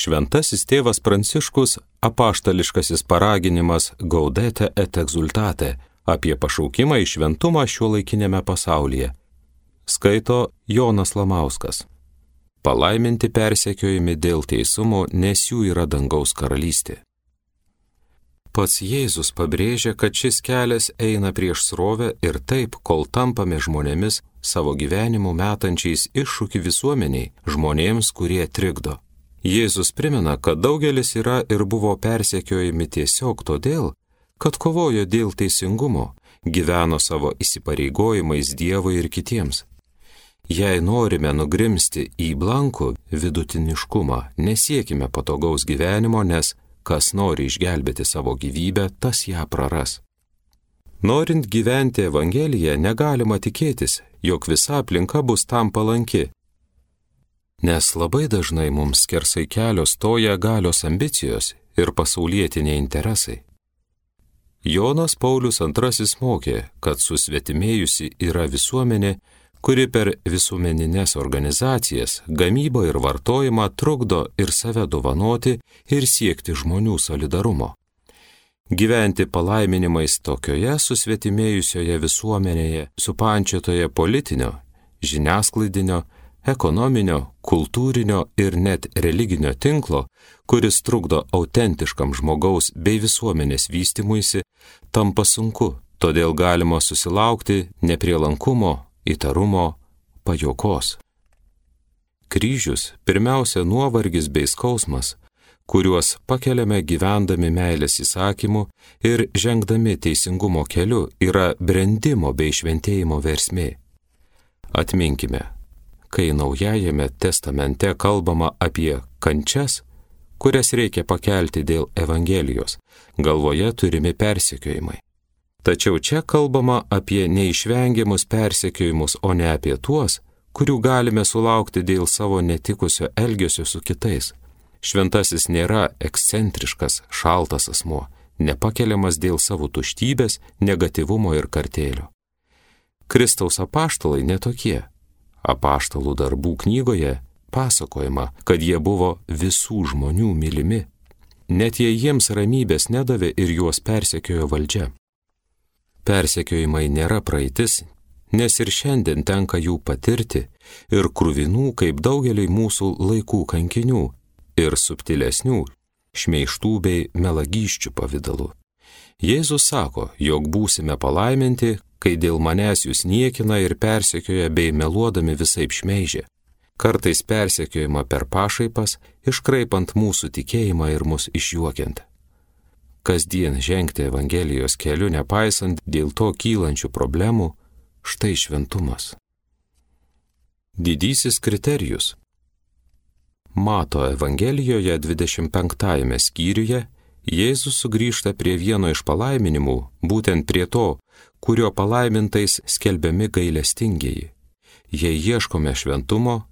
Šventasis tėvas Pranciškus apaštališkasis paraginimas Gaudete et exultate apie pašaukimą į šventumą šiuolaikinėme pasaulyje. Skaito Jonas Lamauskas. Palaiminti persekiojami dėl teisumo, nes jų yra dangaus karalystė. Pats Jėzus pabrėžia, kad šis kelias eina prieš srovę ir taip, kol tampame žmonėmis savo gyvenimu metančiais iššūkį visuomeniai, žmonėms, kurie trikdo. Jėzus primena, kad daugelis yra ir buvo persekiojami tiesiog todėl, kad kovojo dėl teisingumo, gyveno savo įsipareigojimais Dievui ir kitiems. Jei norime nugrimsti į blankų vidutiniškumą, nesiekime patogaus gyvenimo, nes kas nori išgelbėti savo gyvybę, tas ją praras. Norint gyventi Evangeliją, negalima tikėtis, jog visa aplinka bus tam palanki. Nes labai dažnai mums skersai kelio stoja galios ambicijos ir pasaulietiniai interesai. Jonas Paulius II mokė, kad susvetimėjusi yra visuomenė, kuri per visuomeninės organizacijas, gamybą ir vartojimą trukdo ir save dovanoti ir siekti žmonių solidarumo. Gyventi palaiminimais tokioje susvetimėjusioje visuomenėje, supančiotoje politinio, žiniasklaidinio, ekonominio, kultūrinio ir net religinio tinklo, kuris trukdo autentiškam žmogaus bei visuomenės vystymuisi, tampa sunku, todėl galima susilaukti neprielankumo, įtarumo, pajuokos. Kryžius pirmiausia nuovargis bei skausmas, kuriuos pakeliame gyvendami meilės įsakymu ir žengdami teisingumo keliu, yra brendimo bei šventėjimo versmė. Atminkime, kai Naujajame testamente kalbama apie kančias, kurias reikia pakelti dėl Evangelijos, galvoje turimi persekiojimai. Tačiau čia kalbama apie neišvengiamus persekiojimus, o ne apie tuos, kurių galime sulaukti dėl savo netikusio elgesio su kitais. Šventasis nėra ekscentriškas, šaltas asmuo, nepakeliamas dėl savo tuštybės, negatyvumo ir kartėlio. Kristaus apaštalai netokie. Apaštalų darbų knygoje pasakojama, kad jie buvo visų žmonių mylimi, net jei jiems ramybės nedavė ir juos persekiojo valdžia. Persekiojimai nėra praeitis, nes ir šiandien tenka jų patirti ir kruvinų kaip daugeliai mūsų laikų kankinių ir subtilesnių, šmeižtų bei melagysčių pavidalu. Jėzus sako, jog būsime palaiminti, kai dėl manęs jūs niekina ir persekioja bei meluodami visaip šmeižia. Kartais persekiojama per pašaipas, iškraipant mūsų tikėjimą ir mus išjuokiant. Kasdien žengti Evangelijos keliu, nepaisant dėl to kylančių problemų, štai šventumas. Didysis kriterijus. Mato Evangelijoje 25 skyriuje Jėzus sugrįžta prie vieno iš palaiminimų, būtent prie to, kurio palaimintais skelbiami gailestingieji. Jei ieškome šventumo,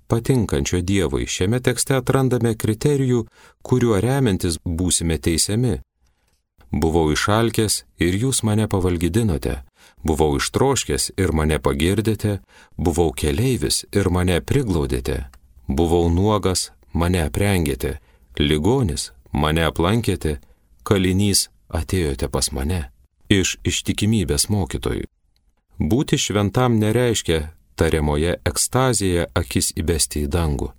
patinkančio Dievui, šiame tekste atrandame kriterijų, kuriuo remiantis būsime teisiami. Buvau išalkęs ir jūs mane pavalgydinote, buvau ištroškęs ir mane pagirdėte, buvau keleivis ir mane priglaudėte, buvau nuogas, mane aprengėte, ligonis, mane aplankėte, kalinys, atėjote pas mane. Iš ištikimybės mokytojų. Būti šventam nereiškia tariamoje ekstazėje akis įbesti į dangų.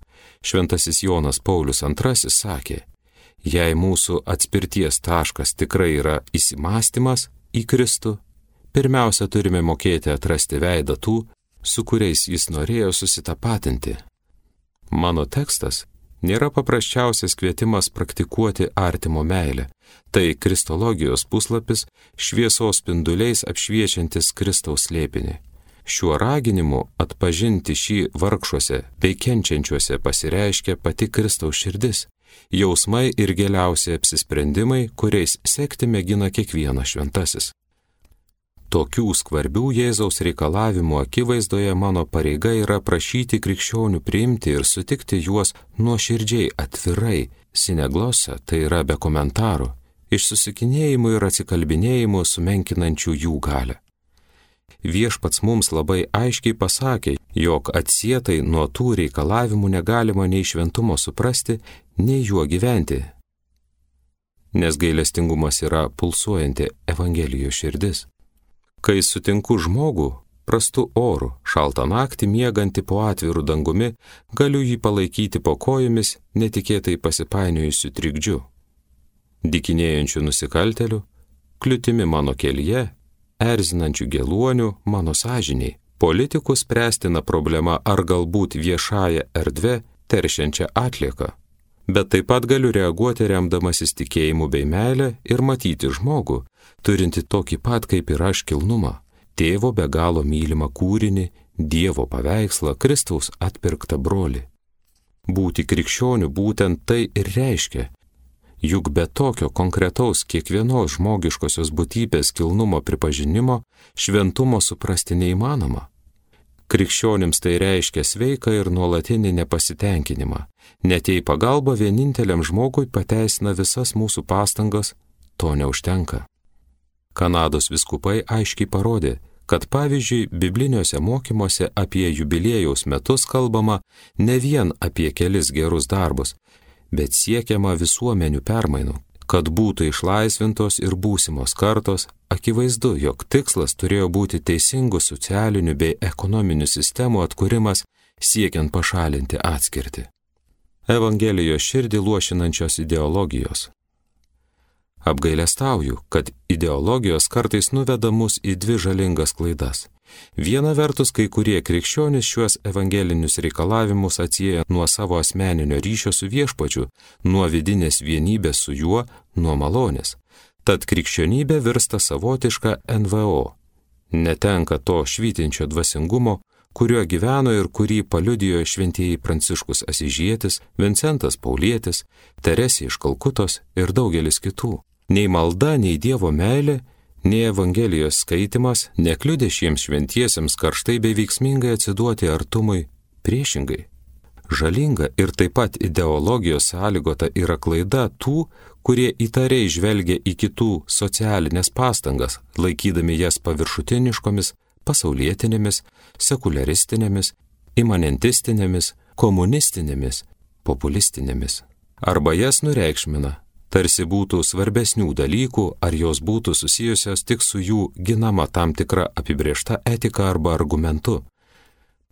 Šventasis Jonas Paulius II sakė, jei mūsų atspirties taškas tikrai yra įsimąstymas į Kristų, pirmiausia turime mokėti atrasti veidą tų, su kuriais jis norėjo susitapatinti. Mano tekstas nėra paprasčiausias kvietimas praktikuoti artimo meilę. Tai kristologijos puslapis šviesos spinduliais apšviečiantis Kristaus slėpinį. Šiuo raginimu atpažinti šį vargšuose bei kenčiančiuose pasireiškia pati Kristaus širdis, jausmai ir giliausi apsisprendimai, kuriais sekti mėgina kiekvienas šventasis. Tokių skvarbių Jėzaus reikalavimų akivaizdoje mano pareiga yra prašyti krikščionių priimti ir sutikti juos nuoširdžiai, atvirai, sineglosa, tai yra be komentarų, iš susikinėjimų ir atsikalbinėjimų sumenkinančių jų galią. Viešpats mums labai aiškiai pasakė, jog atsietai nuo tų reikalavimų negalima nei šventumo suprasti, nei juo gyventi. Nes gailestingumas yra pulsuojanti Evangelijos širdis. Kai sutinku žmogų, prastu oru, šaltą naktį miegantį po atviru dangumi, galiu jį palaikyti po kojomis netikėtai pasipainiojusiu trikdžiu. Dykinėjančių nusikaltelių, kliūtimi mano kelyje, erzinančių geluonių mano sąžiniai, politikų spręstina problema ar galbūt viešąją erdvę teršiančią atlieką. Bet taip pat galiu reaguoti remdamasis tikėjimu bei meilę ir matyti žmogų, turinti tokį pat kaip ir aš kilnumą, tėvo be galo mylimą kūrinį, Dievo paveikslą, Kristaus atpirktą brolį. Būti krikščioniu būtent tai ir reiškia, juk be tokio konkretaus kiekvienos žmogiškosios būtybės kilnumo pripažinimo šventumo suprasti neįmanoma. Krikščionims tai reiškia sveiką ir nuolatinį nepasitenkinimą. Net jei pagalba vieninteliam žmogui pateisina visas mūsų pastangas, to neužtenka. Kanados vyskupai aiškiai parodė, kad pavyzdžiui, bibliniuose mokymuose apie jubiliejaus metus kalbama ne vien apie kelis gerus darbus, bet siekiama visuomenių permainų, kad būtų išlaisvintos ir būsimos kartos. Akivaizdu, jog tikslas turėjo būti teisingų socialinių bei ekonominių sistemų atkūrimas, siekiant pašalinti atskirtį. Evangelijos širdį luošinančios ideologijos. Apgailestauju, kad ideologijos kartais nuveda mus į dvi žalingas klaidas. Viena vertus, kai kurie krikščionys šiuos evangelinius reikalavimus atsieja nuo savo asmeninio ryšio su viešpačiu, nuo vidinės vienybės su juo, nuo malonės. Tad krikščionybė virsta savotiška NVO. Netenka to švytinčio dvasingumo, kuriuo gyveno ir kurį paliudijo šventieji Pranciškus Asyžietis, Vincentas Paulietis, Teresė iš Kalkutos ir daugelis kitų. Nei malda, nei Dievo meilė, nei Evangelijos skaitimas nekliudė šiems šventiesiems karštai bei veiksmingai atsiduoti artumui, priešingai. Žalinga ir taip pat ideologijos sąlygota yra klaida tų, kurie įtariai žvelgia į kitų socialinės pastangas, laikydami jas paviršutiniškomis, pasaulietinėmis, sekuliaristinėmis, imanentistinėmis, komunistinėmis, populistinėmis. Arba jas nureikšmina, tarsi būtų svarbesnių dalykų, ar jos būtų susijusios tik su jų ginama tam tikra apibrėžta etika arba argumentu.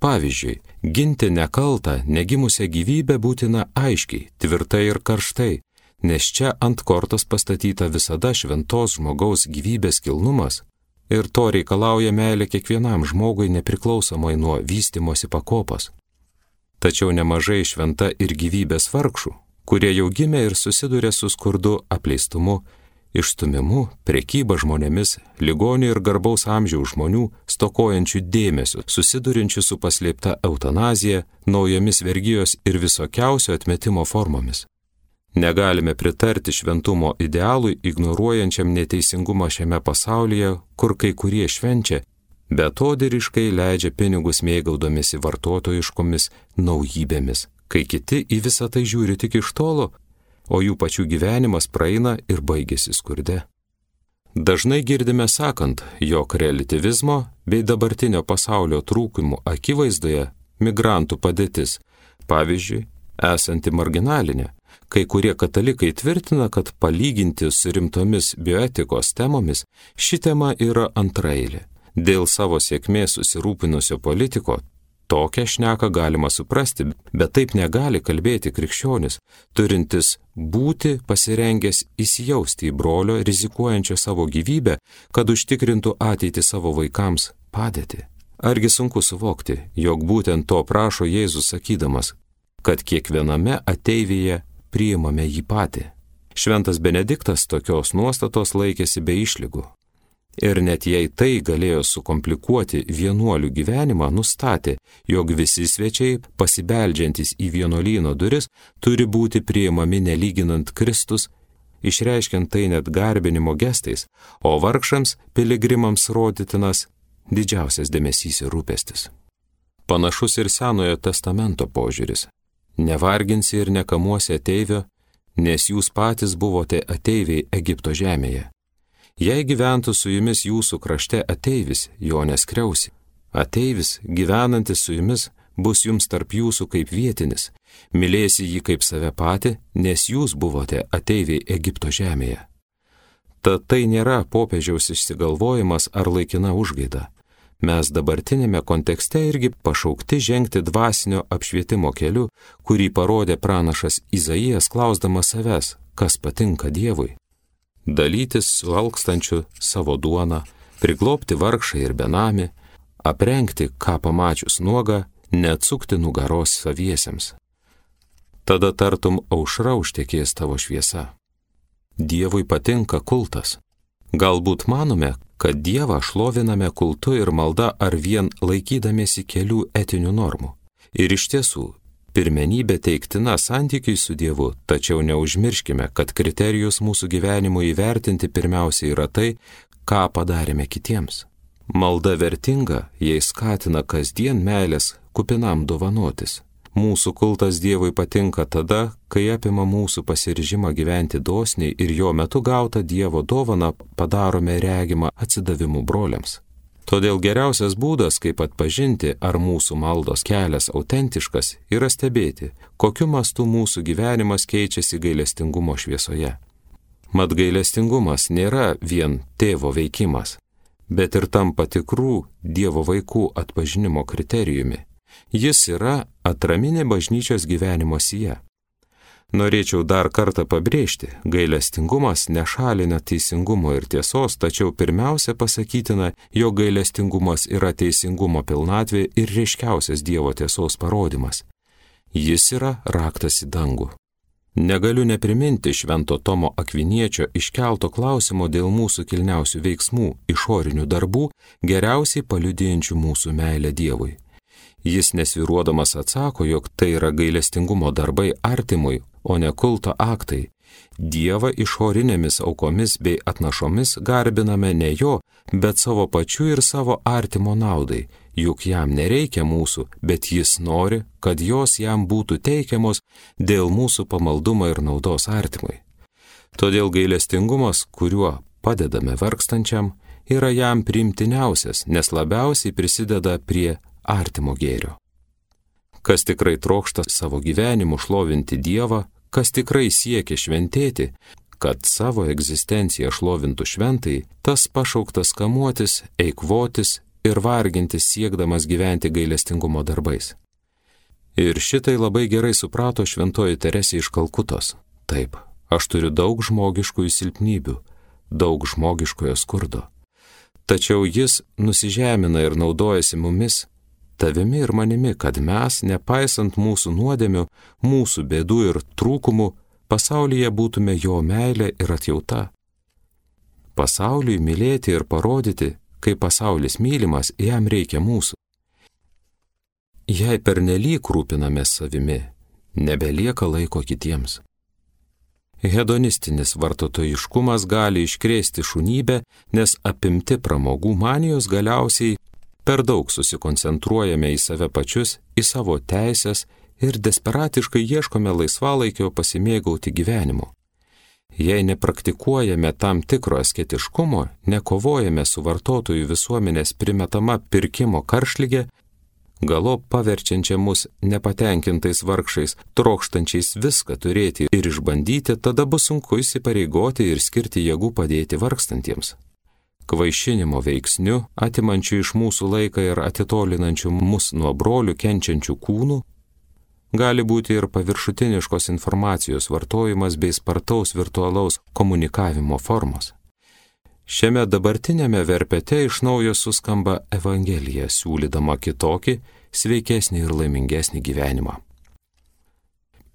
Pavyzdžiui, ginti nekaltą, negimusią gyvybę būtina aiškiai, tvirtai ir karštai, nes čia ant kortos pastatyta visada šventos žmogaus gyvybės kilnumas ir to reikalauja meilė kiekvienam žmogui nepriklausomai nuo vystimosi pakopos. Tačiau nemažai šventa ir gyvybės vargšų, kurie jau gimė ir susiduria su skurdu, apleistumu, išstumimu, prekyba žmonėmis, ligonių ir garbaus amžiaus žmonių, stokojančių dėmesio, susidurinčių su paslėpta eutanazija, naujomis vergijos ir visokiausio atmetimo formomis. Negalime pritarti šventumo idealui, ignoruojančiam neteisingumą šiame pasaulyje, kur kai kurie švenčia, betodiriškai leidžia pinigus mėgaudomisi vartotojiškomis naujybėmis, kai kiti į visą tai žiūri tik iš tolo, o jų pačių gyvenimas praeina ir baigėsi skurde. Dažnai girdime sakant, jog reliatyvizmo bei dabartinio pasaulio trūkumų akivaizdoje migrantų padėtis, pavyzdžiui, esanti marginalinė. Kai kurie katalikai tvirtina, kad palyginti su rimtomis bioetikos temomis ši tema yra antraeilė. Dėl savo sėkmės susirūpinusio politiko tokią šneką galima suprasti, bet taip negali kalbėti krikščionis, turintis būti pasirengęs įsijausti į brolio, rizikuojančio savo gyvybę, kad užtikrintų ateitį savo vaikams padėtį. Argi sunku suvokti, jog būtent to prašo Jėzus sakydamas, kad kiekviename ateivyje priimame jį patį. Šventas Benediktas tokios nuostatos laikėsi be išlygų. Ir net jei tai galėjo sukomplikuoti vienuolių gyvenimą, nustatė, jog visi svečiai, pasibeldžiantys į vienuolyno duris, turi būti priimami nelyginant Kristus, išreiškiant tai net garbinimo gestais, o vargšams, piligrimams rodytinas didžiausias dėmesys ir rūpestis. Panašus ir Senojo testamento požiūris. Nevarginsi ir nekamuosi ateivio, nes jūs patys buvote ateiviai Egipto žemėje. Jei gyventų su jumis jūsų krašte ateivis, jo neskriausi. Ateivis, gyvenantis su jumis, bus jums tarp jūsų kaip vietinis, Mylėsi jį kaip save patį, nes jūs buvote ateiviai Egipto žemėje. Tad tai nėra popiežiaus išsigalvojimas ar laikina užgaida. Mes dabartinėme kontekste irgi pašaukti žengti dvasinio apšvietimo keliu, kurį parodė pranašas Izaijas klausdamas savęs, kas patinka Dievui. Dalytis su alkstančiu savo duoną, priglobti vargšą ir benamį, aprengti, ką pamačius nuogą, neatsukti nugaros saviesiems. Tada tartum aušra užtekės tavo šviesa. Dievui patinka kultas. Galbūt manome, kad Dievą šloviname kultu ir malda ar vien laikydamiesi kelių etinių normų. Ir iš tiesų, pirmenybė teiktina santykiui su Dievu, tačiau neužmirškime, kad kriterijus mūsų gyvenimo įvertinti pirmiausia yra tai, ką padarėme kitiems. Malda vertinga, jei skatina kasdien meilės kupinam dovanotis. Mūsų kultas Dievui patinka tada, kai apima mūsų pasiryžimą gyventi dosniai ir jo metu gautą Dievo dovaną padarome regimą atsidavimu broliams. Todėl geriausias būdas, kaip atpažinti, ar mūsų maldos kelias autentiškas, yra stebėti, kokiu mastu mūsų gyvenimas keičiasi gailestingumo šviesoje. Mat gailestingumas nėra vien tėvo veikimas, bet ir tampa tikrų Dievo vaikų atpažinimo kriterijumi. Jis yra atraminė bažnyčios gyvenimo sija. Norėčiau dar kartą pabrėžti, gailestingumas nešalina teisingumo ir tiesos, tačiau pirmiausia pasakytina, jog gailestingumas yra teisingumo pilnatvė ir ryškiausias Dievo tiesos parodimas. Jis yra raktas į dangų. Negaliu nepriminti Švento Tomo Akviniečio iškelto klausimo dėl mūsų kilniausių veiksmų, išorinių darbų, geriausiai paliudijančių mūsų meilę Dievui. Jis nesvyruodamas atsako, jog tai yra gailestingumo darbai artimui, o ne kulto aktai. Dievą išorinėmis aukomis bei atnašomis garbiname ne jo, bet savo pačių ir savo artimo naudai, juk jam nereikia mūsų, bet jis nori, kad jos jam būtų teikiamos dėl mūsų pamaldumo ir naudos artimui. Todėl gailestingumas, kuriuo padedame vargstančiam, yra jam priimtiniausias, nes labiausiai prisideda prie artimo gėrio. Kas tikrai trokšta savo gyvenimu šlovinti Dievą, kas tikrai siekia šventėti, kad savo egzistenciją šlovintų šventai, tas pašauktas kamuotis, eikvotis ir vargintis siekdamas gyventi gailestingumo darbais. Ir šitai labai gerai suprato šventoji Teresė iš Kalkutos. Taip, aš turiu daug žmogiškųjų silpnybių, daug žmogiškojo skurdo. Tačiau jis nusižemina ir naudojasi mumis, tavimi ir manimi, kad mes, nepaisant mūsų nuodėmių, mūsų bėdų ir trūkumų, pasaulyje būtume jo meilė ir atjauta. Pasauliui mylėti ir parodyti, kaip pasaulis mylimas, jam reikia mūsų. Jei pernelyg rūpinamės savimi, nebelieka laiko kitiems. Hedonistinis vartotojiškumas gali iškrėsti šunybę, nes apimti pramogų manijos galiausiai per daug susikoncentruojame į save pačius, į savo teisės ir desperatiškai ieškome laisvalaikio pasimėgauti gyvenimu. Jei nepraktikuojame tam tikro asketiškumo, nekovojame su vartotojų visuomenės primetama pirkimo karštlige, galop paverčiančia mus nepatenkintais vargšais, trokštančiais viską turėti ir išbandyti, tada bus sunku įsipareigoti ir skirti jėgų padėti vargstantiems. Kvaišinimo veiksniu, atimančių iš mūsų laiką ir atitolinančių mus nuo brolių kenčiančių kūnų, gali būti ir paviršutiniškos informacijos vartojimas bei spartaus virtualaus komunikavimo formos. Šiame dabartinėme verpete iš naujo suskamba Evangelija, siūlydama kitokį, sveikesnį ir laimingesnį gyvenimą.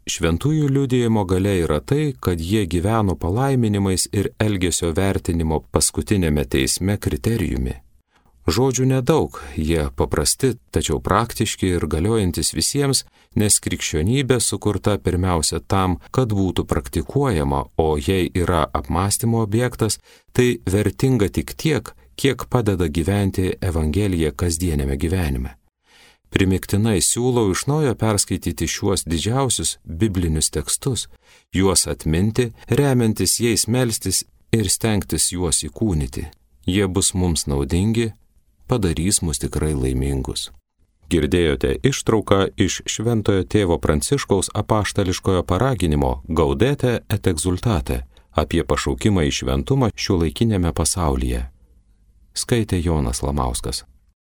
Šventųjų liudijimo galia yra tai, kad jie gyveno palaiminimais ir elgesio vertinimo paskutinėme teisme kriterijumi. Žodžių nedaug, jie paprasti, tačiau praktiški ir galiojantis visiems, nes krikščionybė sukurta pirmiausia tam, kad būtų praktikuojama, o jei yra apmąstymo objektas, tai vertinga tik tiek, kiek padeda gyventi Evangeliją kasdienėme gyvenime. Primiktinai siūlau iš naujo perskaityti šiuos didžiausius biblinius tekstus, juos atminti, remiantis jais melstis ir stengtis juos įkūnyti. Jie bus mums naudingi, padarys mus tikrai laimingus. Girdėjote ištrauką iš Šventojo tėvo Pranciškaus apaštališkojo paraginimo Gaudete et exultate apie pašaukimą į šventumą šiuolaikiniame pasaulyje. Skaitė Jonas Lamauskas.